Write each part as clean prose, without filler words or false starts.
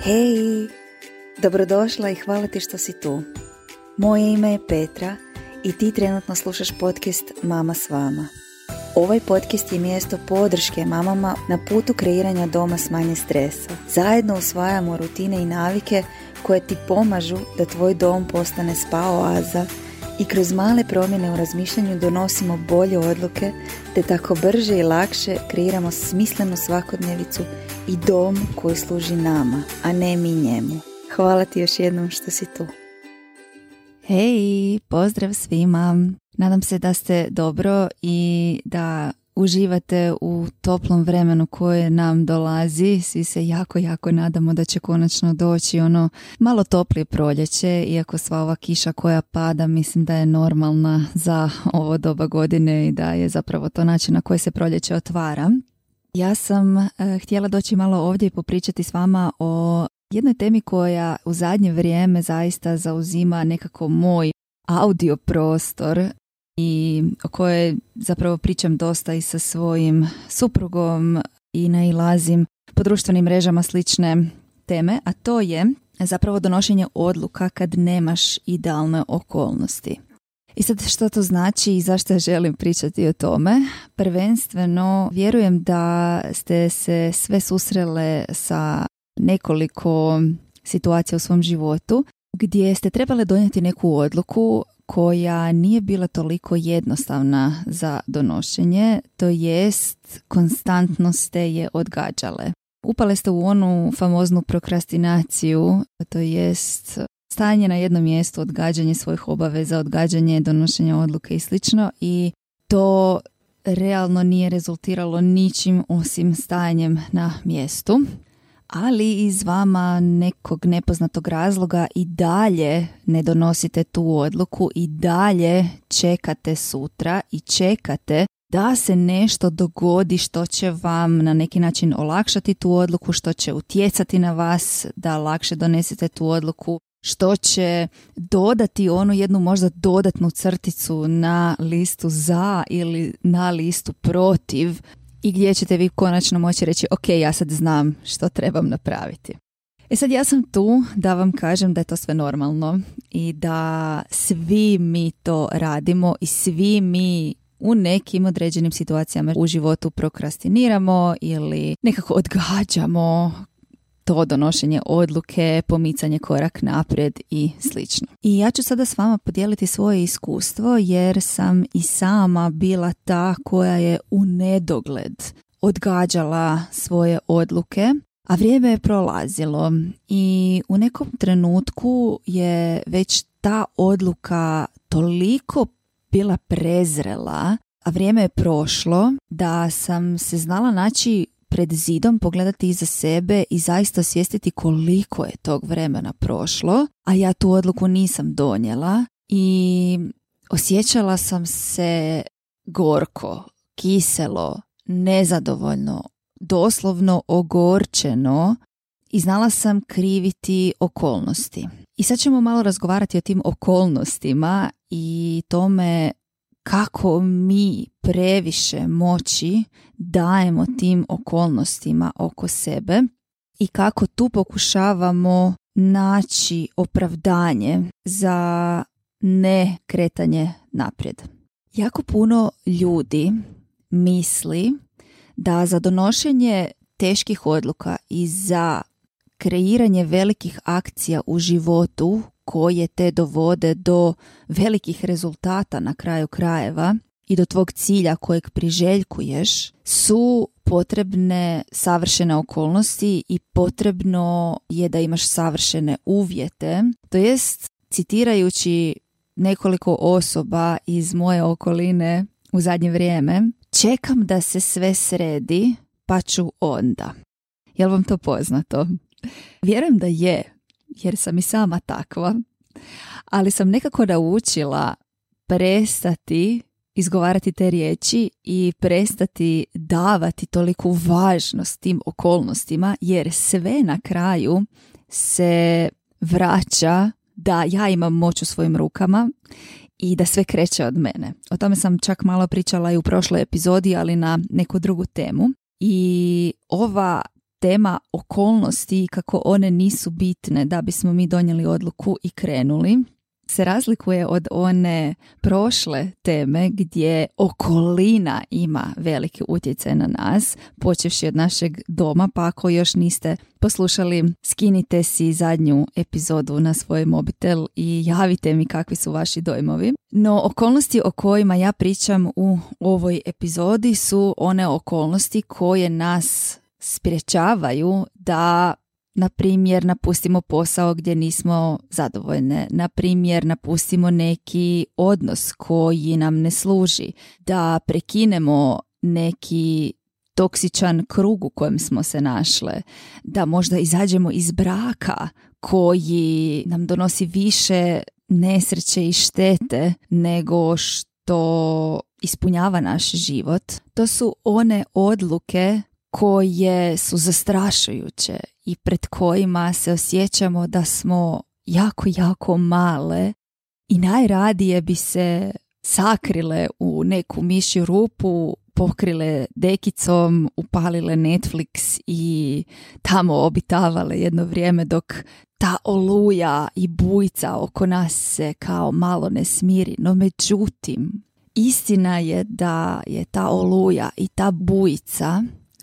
Hej, dobrodošla i hvala ti što si tu. Moje ime je Petra i ti trenutno slušaš podcast Mama s vama. Ovaj podcast je mjesto podrške mamama na putu kreiranja doma s manje stresa. Zajedno usvajamo rutine i navike koje ti pomažu da tvoj dom postane spa oaza i kroz male promjene u razmišljanju donosimo bolje odluke te tako brže i lakše kreiramo smislenu svakodnevicu i dom koji služi nama, a ne mi njemu. Hvala ti još jednom što si tu. Hej, pozdrav svima. Nadam se da ste dobro i da uživate u toplom vremenu koje nam dolazi. Svi se jako nadamo da će konačno doći ono malo toplije proljeće, iako sva ova kiša koja pada mislim da je normalna za ovo doba godine i da je zapravo to način na koji se proljeće otvara. Ja sam htjela doći malo ovdje i popričati s vama o jednoj temi koja u zadnje vrijeme zaista zauzima nekako moj audio prostor i o kojoj zapravo pričam dosta i sa svojim suprugom i nailazim po društvenim mrežama slične teme, a to je zapravo donošenje odluka kad nemaš idealne okolnosti. I sad što to znači i zašto želim pričati o tome? Prvenstveno vjerujem da ste se sve susrele sa nekoliko situacija u svom životu gdje ste trebali donijeti neku odluku koja nije bila toliko jednostavna za donošenje, to jest konstantno ste je odgađale. Upale ste u onu famoznu prokrastinaciju, to jest stajanje na jednom mjestu, odgađanje svojih obaveza, odgađanje donošenja odluke i slično, i to realno nije rezultiralo ničim osim stajanjem na mjestu. Ali iz vama nekog nepoznatog razloga i dalje ne donosite tu odluku i dalje čekate sutra i čekate da se nešto dogodi što će vam na neki način olakšati tu odluku, što će utjecati na vas da lakše donesete tu odluku, što će dodati onu jednu možda dodatnu crticu na listu za ili na listu protiv i gdje ćete vi konačno moći reći ok, ja sad znam što trebam napraviti. Sad ja sam tu da vam kažem da je to sve normalno i da svi mi to radimo i svi mi u nekim određenim situacijama u životu prokrastiniramo ili nekako odgađamo to donošenje odluke, pomicanje korak naprijed i slično. I ja ću sada s vama podijeliti svoje iskustvo jer sam i sama bila ta koja je u nedogled odgađala svoje odluke, a vrijeme je prolazilo i u nekom trenutku je već ta odluka toliko bila prezrela, a vrijeme je prošlo da sam se znala naći pred zidom, pogledati iza sebe i zaista osvijestiti koliko je tog vremena prošlo, a ja tu odluku nisam donijela i osjećala sam se gorko, kiselo, nezadovoljno, doslovno ogorčeno i znala sam kriviti okolnosti. I sad ćemo malo razgovarati o tim okolnostima i tome kako mi previše moći dajemo tim okolnostima oko sebe i kako tu pokušavamo naći opravdanje za ne kretanje naprijed. Jako puno ljudi misli da za donošenje teških odluka i za kreiranje velikih akcija u životu koje te dovode do velikih rezultata na kraju krajeva i do tvog cilja kojeg priželjkuješ su potrebne savršene okolnosti i potrebno je da imaš savršene uvjete. To jest, citirajući nekoliko osoba iz moje okoline u zadnje vrijeme, čekam da se sve sredi pa ću onda. Jel vam to poznato? Vjerujem da je, jer sam i sama takva, ali sam nekako naučila prestati izgovarati te riječi i prestati davati toliku važnost tim okolnostima, jer sve na kraju se vraća da ja imam moć u svojim rukama i da sve kreće od mene. O tome sam čak malo pričala i u prošloj epizodi, ali na neku drugu temu. I ova tema okolnosti i kako one nisu bitne da bismo mi donijeli odluku i krenuli se razlikuje od one prošle teme gdje okolina ima veliki utjecaj na nas, počevši od našeg doma, pa ako još niste poslušali, skinite si zadnju epizodu na svoj mobitel i javite mi kakvi su vaši dojmovi. No, okolnosti o kojima ja pričam u ovoj epizodi su one okolnosti koje nas sprječavaju da, na primjer, napustimo posao gdje nismo zadovoljne, na primjer, napustimo neki odnos koji nam ne služi, da prekinemo neki toksičan krug u kojem smo se našle, da možda izađemo iz braka koji nam donosi više nesreće i štete nego što ispunjava naš život. To su one odluke koje su zastrašujuće i pred kojima se osjećamo da smo jako, jako male i najradije bi se sakrile u neku mišju rupu, pokrile dekicom, upalile Netflix i tamo obitavale jedno vrijeme dok ta oluja i bujica oko nas se kao malo ne smiri. No međutim, istina je da je ta oluja i ta bujica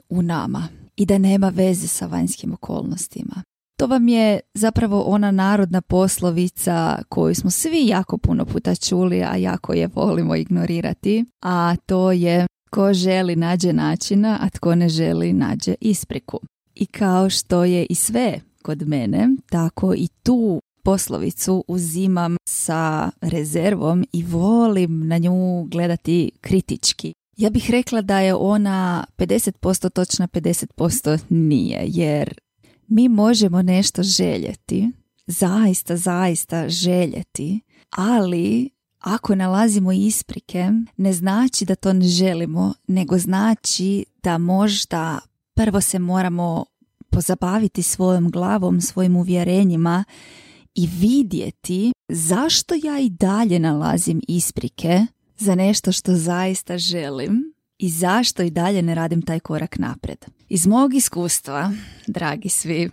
u nama i da nema veze sa vanjskim okolnostima. To vam je zapravo ona narodna poslovica koju smo svi jako puno puta čuli, a jako je volimo ignorirati, a to je: tko želi nađe načina, a tko ne želi nađe ispriku. I kao što je i sve kod mene, tako i tu poslovicu uzimam sa rezervom i volim na nju gledati kritički. Ja bih rekla da je ona 50% točna, 50% nije, jer mi možemo nešto željeti, zaista željeti, ali ako nalazimo isprike, ne znači da to ne želimo, nego znači da možda prvo se moramo pozabaviti svojom glavom, svojim uvjerenjima i vidjeti zašto ja i dalje nalazim isprike za nešto što zaista želim i zašto i dalje ne radim taj korak naprijed. Iz mog iskustva, dragi svi,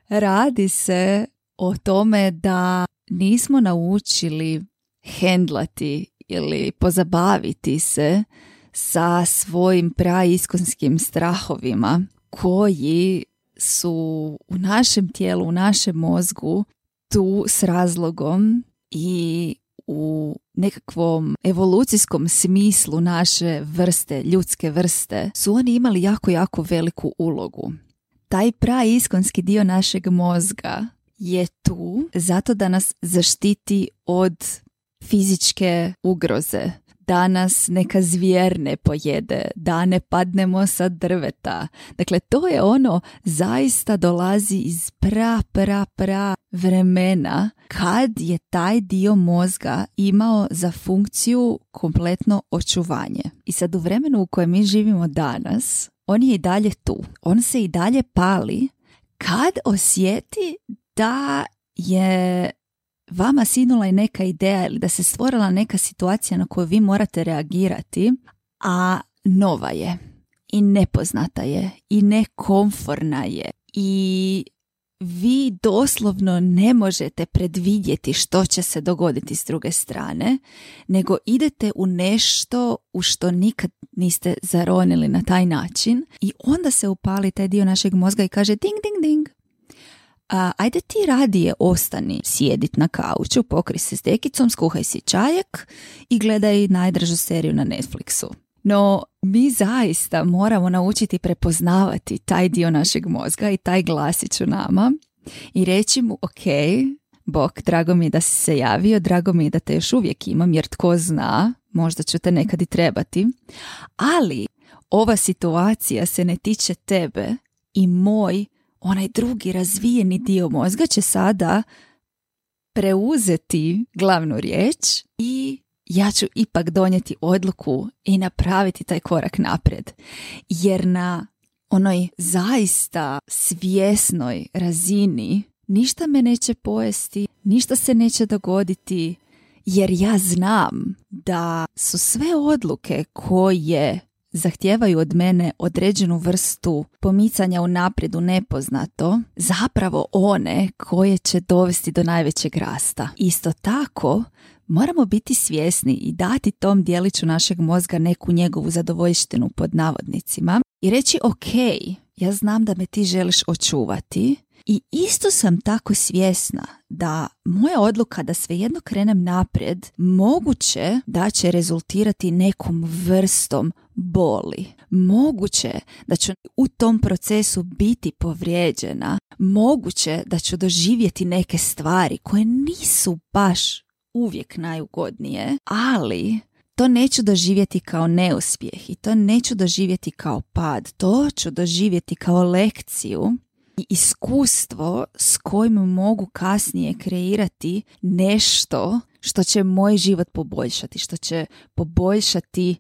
radi se o tome da nismo naučili hendlati ili pozabaviti se sa svojim praiskonskim strahovima koji su u našem tijelu, u našem mozgu tu s razlogom i u nekakvom evolucijskom smislu naše vrste, ljudske vrste, su oni imali jako, jako veliku ulogu. Taj praiskonski dio našeg mozga je tu zato da nas zaštiti od fizičke ugroze, da nas neka zvijer ne pojede, da ne padnemo sa drveta. Dakle, to je ono, zaista dolazi iz pra vremena kad je taj dio mozga imao za funkciju kompletno očuvanje. I sad u vremenu u kojem mi živimo danas, on je i dalje tu. On se i dalje pali kad osjeti da je vama sinula i neka ideja ili da se stvorila neka situacija na koju vi morate reagirati, a nova je i nepoznata je i nekomforna je i vi doslovno ne možete predvidjeti što će se dogoditi s druge strane, nego idete u nešto u što nikad niste zaronili na taj način i onda se upali taj dio našeg mozga i kaže ding, ding, ding. Ajde ti radije ostani sjedit na kauču, pokri se s dekicom, skuhaj si čajak i gledaj najdražu seriju na Netflixu. No, mi zaista moramo naučiti prepoznavati taj dio našeg mozga i taj glasić u nama i reći mu: ok, Bog, drago mi je da si se javio, drago mi je da te još uvijek imam, jer tko zna, možda ću te nekad i trebati, ali ova situacija se ne tiče tebe i moj onaj drugi razvijeni dio mozga će sada preuzeti glavnu riječ i ja ću ipak donijeti odluku i napraviti taj korak naprijed. Jer na onoj zaista svjesnoj razini ništa me neće pojesti, ništa se neće dogoditi, jer ja znam da su sve odluke koje zahtijevaju od mene određenu vrstu pomicanja unaprijed u nepoznato, zapravo one koje će dovesti do najvećeg rasta. Isto tako, moramo biti svjesni i dati tom dijeliću našeg mozga neku njegovu zadovoljštinu pod navodnicima i reći ok, ja znam da me ti želiš očuvati i isto sam tako svjesna da moja odluka da svejedno krenem naprijed moguće da će rezultirati nekom vrstom boli. Moguće da ću u tom procesu biti povrijeđena. Moguće da ću doživjeti neke stvari koje nisu baš uvijek najugodnije, ali to neću doživjeti kao neuspjeh i to neću doživjeti kao pad. To ću doživjeti kao lekciju i iskustvo s kojim mogu kasnije kreirati nešto što će moj život poboljšati, što će poboljšati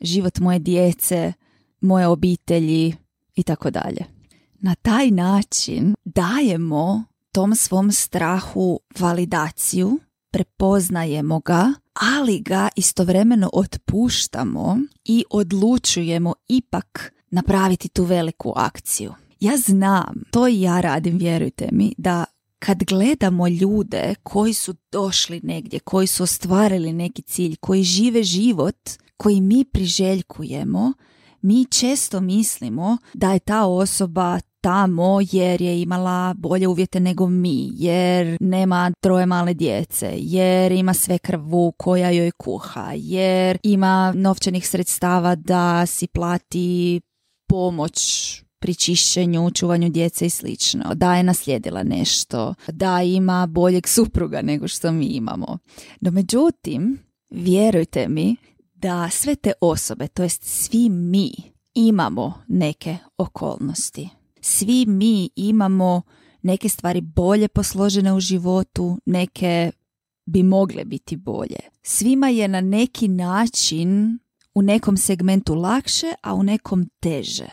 život moje djece, moje obitelji i tako dalje. Na taj način dajemo tom svom strahu validaciju, prepoznajemo ga, ali ga istovremeno otpuštamo i odlučujemo ipak napraviti tu veliku akciju. Ja znam, to i ja radim, vjerujte mi, da kad gledamo ljude koji su došli negdje, koji su ostvarili neki cilj, koji žive život koji mi priželjkujemo, mi često mislimo da je ta osoba tamo jer je imala bolje uvjete nego mi, jer nema 3 male djece, jer ima svekrvu koja joj kuha, jer ima novčanih sredstava da si plati pomoć pri čišćenju, čuvanju djece i slično, da je naslijedila nešto, da ima boljeg supruga nego što mi imamo. No međutim, vjerujte mi da sve te osobe, to jest svi mi, imamo neke okolnosti. Svi mi imamo neke stvari bolje posložene u životu, neke bi mogle biti bolje. Svima je na neki način u nekom segmentu lakše, a u nekom teže.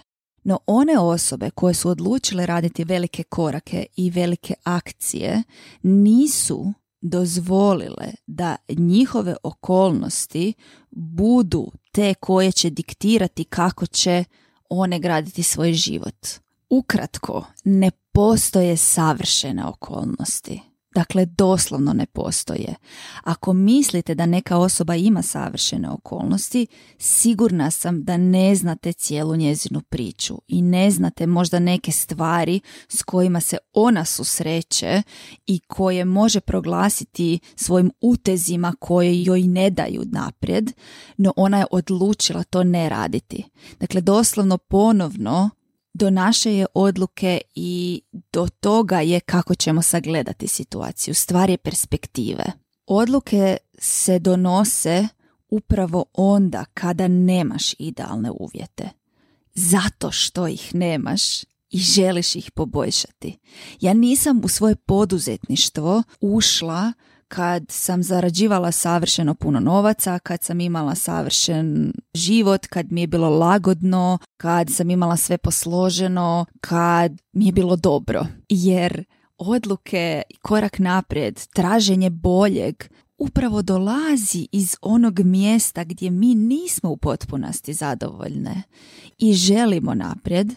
No one osobe koje su odlučile raditi velike korake i velike akcije nisu dozvolile da njihove okolnosti budu te koje će diktirati kako će one graditi svoj život. Ukratko, ne postoje savršene okolnosti. Dakle, doslovno ne postoje. Ako mislite da neka osoba ima savršene okolnosti, sigurna sam da ne znate cijelu njezinu priču i ne znate možda neke stvari s kojima se ona susreće i koje može proglasiti svojim utezima koje joj ne daju naprijed, no ona je odlučila to ne raditi. Dakle, doslovno ponovno do naše je odluke i do toga je kako ćemo sagledati situaciju. Stvar je perspektive. Odluke se donose upravo onda kada nemaš idealne uvjete. Zato što ih nemaš i želiš ih poboljšati. Ja nisam u svoje poduzetništvo ušla kad sam zarađivala savršeno puno novaca, kad sam imala savršen život, kad mi je bilo lagodno, kad sam imala sve posloženo, kad mi je bilo dobro. Jer odluke, korak naprijed, traženje boljeg upravo dolazi iz onog mjesta gdje mi nismo u potpunosti zadovoljne i želimo naprijed.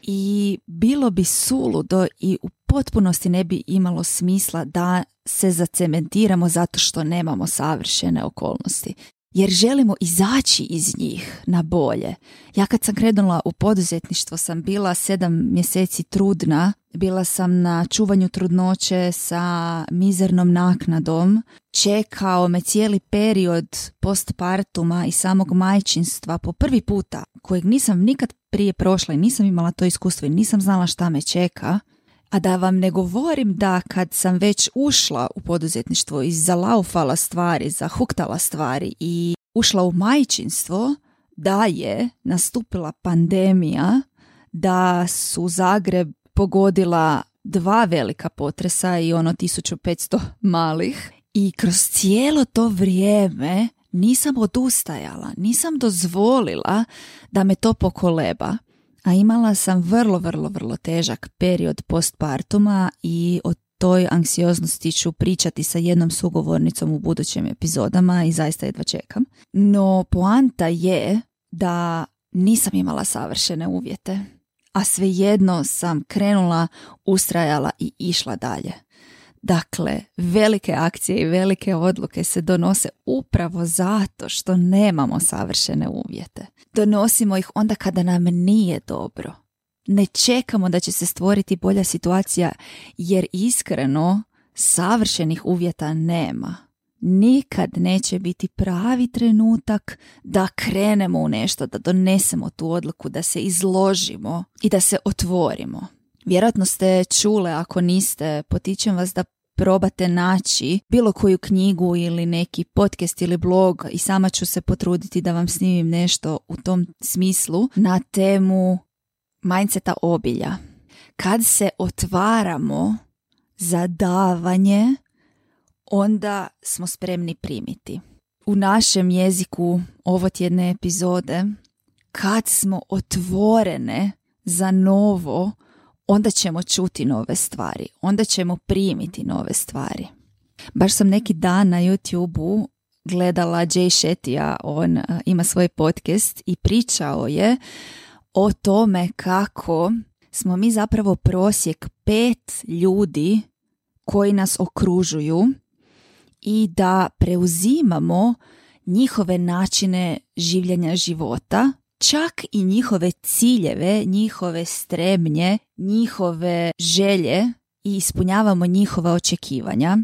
I bilo bi suludo i u potpunosti ne bi imalo smisla da se zacementiramo zato što nemamo savršene okolnosti. Jer želimo izaći iz njih na bolje. Ja kad sam krenula u poduzetništvo sam bila 7 mjeseci trudna. Bila sam na čuvanju trudnoće sa mizernom naknadom. Čekao me cijeli period postpartuma i samog majčinstva po prvi puta, kojeg nisam nikad prije prošla i nisam imala to iskustvo i nisam znala šta me čeka. A da vam ne govorim da kad sam već ušla u poduzetništvo i zalaufala stvari, zahuktala stvari i ušla u majčinstvo, da je nastupila pandemija, da su Zagreb pogodila 2 velika potresa i 1500 malih. I kroz cijelo to vrijeme nisam odustajala, nisam dozvolila da me to pokoleba. A imala sam vrlo težak period postpartuma i o toj anksioznosti ću pričati sa jednom sugovornicom u budućim epizodama i zaista jedva čekam. No poanta je da nisam imala savršene uvjete, a svejedno sam krenula, ustrajala i išla dalje. Dakle, velike akcije i velike odluke se donose upravo zato što nemamo savršene uvjete. Donosimo ih onda kada nam nije dobro. Ne čekamo da će se stvoriti bolja situacija, jer iskreno savršenih uvjeta nema. Nikad neće biti pravi trenutak da krenemo u nešto, da donesemo tu odluku, da se izložimo i da se otvorimo. Vjerojatno ste čule, ako niste, potičem vas da probate naći bilo koju knjigu ili neki podcast ili blog i sama ću se potruditi da vam snimim nešto u tom smislu na temu mindseta obilja. Kad se otvaramo za davanje, onda smo spremni primiti. U našem jeziku ovotjedne epizode, kad smo otvorene za novo, onda ćemo čuti nove stvari, onda ćemo primiti nove stvari. Baš sam neki dan na YouTube-u gledala Jay Shettyja, on ima svoj podcast i pričao je o tome kako smo mi zapravo prosjek 5 ljudi koji nas okružuju i da preuzimamo njihove načine življenja života, čak i njihove ciljeve, njihove stremnje, njihove želje i ispunjavamo njihova očekivanja.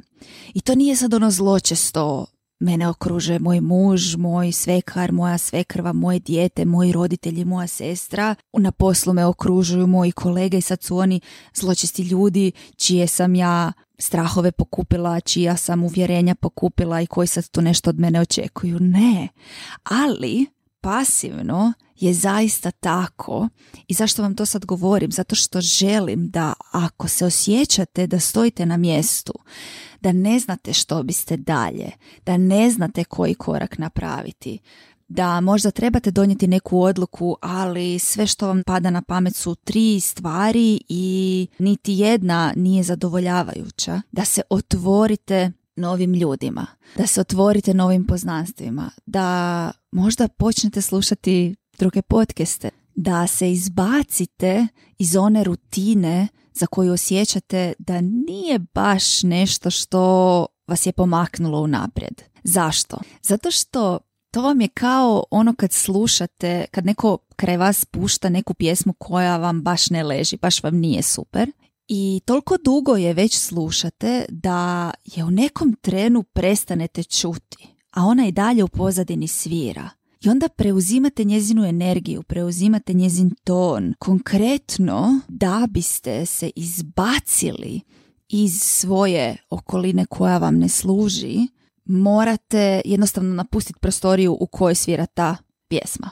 I to nije sad ono zločesto, mene okružuje moj muž, moj svekar, moja svekrva, moje dijete, moji roditelji, moja sestra. Na poslu me okružuju moji kolege i sad su oni zločesti ljudi čije sam ja strahove pokupila, čija sam uvjerenja pokupila i koji sad tu nešto od mene očekuju. Ne, ali pasivno je zaista tako. I zašto vam to sad govorim? Zato što želim da ako se osjećate da stojite na mjestu, da ne znate što biste dalje, da ne znate koji korak napraviti, da možda trebate donijeti neku odluku, ali sve što vam pada na pamet su 3 stvari i niti jedna nije zadovoljavajuća, da se otvorite novim ljudima, da se otvorite novim poznanstvima, da možda počnete slušati druge podcaste, da se izbacite iz one rutine za koju osjećate da nije baš nešto što vas je pomaknulo unaprijed. Zašto? Zato što to vam je kao ono kad slušate, kad neko kraj vas pušta neku pjesmu koja vam baš ne leži, baš vam nije super. I toliko dugo je već slušate da je u nekom trenu prestanete čuti, a ona i dalje u pozadini svira. I onda preuzimate njezinu energiju, preuzimate njezin ton. Konkretno, da biste se izbacili iz svoje okoline koja vam ne služi, morate jednostavno napustiti prostoriju u kojoj svira ta pjesma.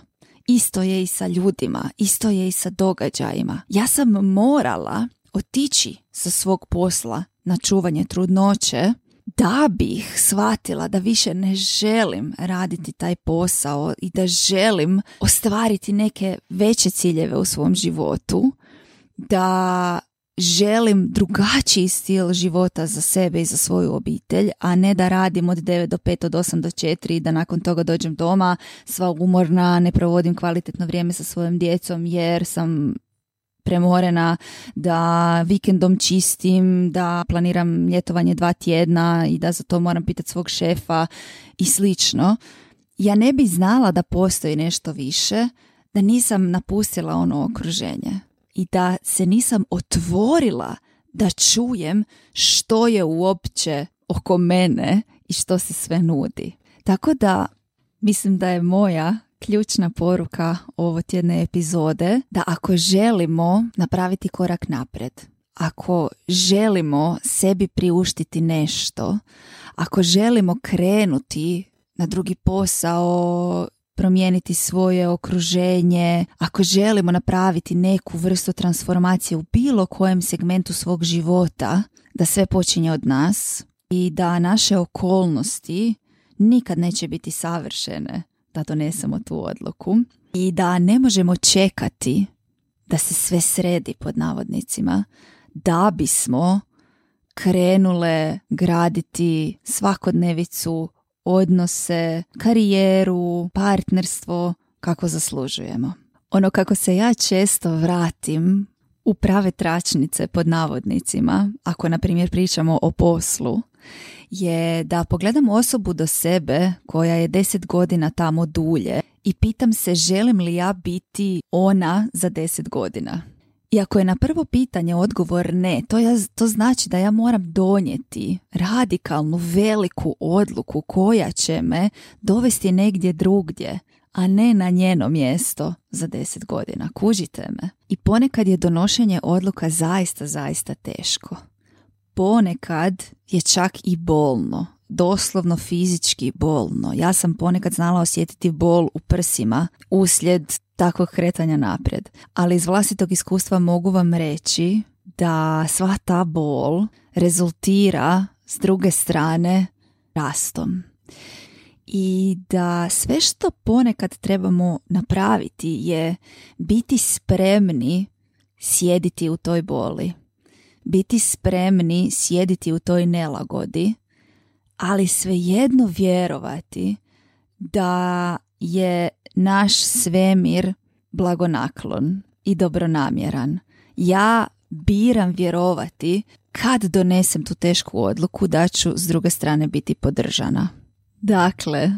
Isto je i sa ljudima, isto je i sa događajima. Ja sam morala otići sa svog posla na čuvanje trudnoće da bih shvatila da više ne želim raditi taj posao i da želim ostvariti neke veće ciljeve u svom životu, da želim drugačiji stil života za sebe i za svoju obitelj, a ne da radim od 9 do 5, od 8 do 4 i da nakon toga dođem doma sva umorna, ne provodim kvalitetno vrijeme sa svojom djecom jer sam premorena, da vikendom čistim, da planiram ljetovanje 2 tjedna i da za to moram pitati svog šefa i slično. Ja ne bi znala da postoji nešto više, da nisam napustila ono okruženje i da se nisam otvorila da čujem što je uopće oko mene i što se sve nudi. Tako da mislim da je moja ključna poruka ovo tjedne epizode da ako želimo napraviti korak naprijed, ako želimo sebi priuštiti nešto, ako želimo krenuti na drugi posao, promijeniti svoje okruženje, ako želimo napraviti neku vrstu transformacije u bilo kojem segmentu svog života, da sve počinje od nas i da naše okolnosti nikad neće biti savršene da donesemo tu odluku i da ne možemo čekati da se sve sredi pod navodnicima da bismo krenule graditi svakodnevicu, odnose, karijeru, partnerstvo kako zaslužujemo. Ono kako se ja često vratim u prave tračnice pod navodnicima, ako na primjer pričamo o poslu, je da pogledam osobu do sebe koja je 10 godina tamo dulje i pitam se želim li ja biti ona za 10 godina. I ako je na prvo pitanje odgovor ne, to znači da ja moram donijeti radikalnu, veliku odluku koja će me dovesti negdje drugdje, a ne na njeno mjesto za 10 godina. Kužite me? I ponekad je donošenje odluka zaista teško. Ponekad je čak i bolno, doslovno fizički bolno. Ja sam ponekad znala osjetiti bol u prsima uslijed takvog kretanja naprijed. Ali iz vlastitog iskustva mogu vam reći da sva ta bol rezultira s druge strane rastom. I da sve što ponekad trebamo napraviti je biti spremni sjediti u toj boli. Biti spremni sjediti u toj nelagodi, ali svejedno vjerovati da je naš svemir blagonaklon i dobronamjeran. Ja biram vjerovati kad donesem tu tešku odluku da ću s druge strane biti podržana. Dakle,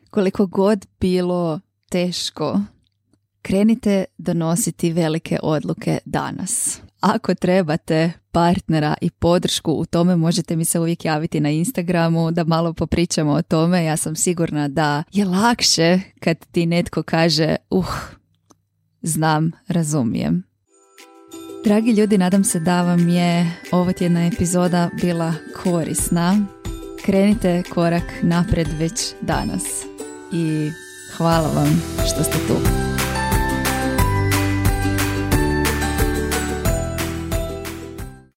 koliko god bilo teško, krenite donositi velike odluke danas. Ako trebate partnera i podršku u tome, možete mi se uvijek javiti na Instagramu da malo popričamo o tome. Ja sam sigurna da je lakše kad ti netko kaže znam, razumijem. Dragi ljudi, nadam se da vam je ova tjedna epizoda bila korisna. Krenite korak naprijed već danas i hvala vam što ste tu.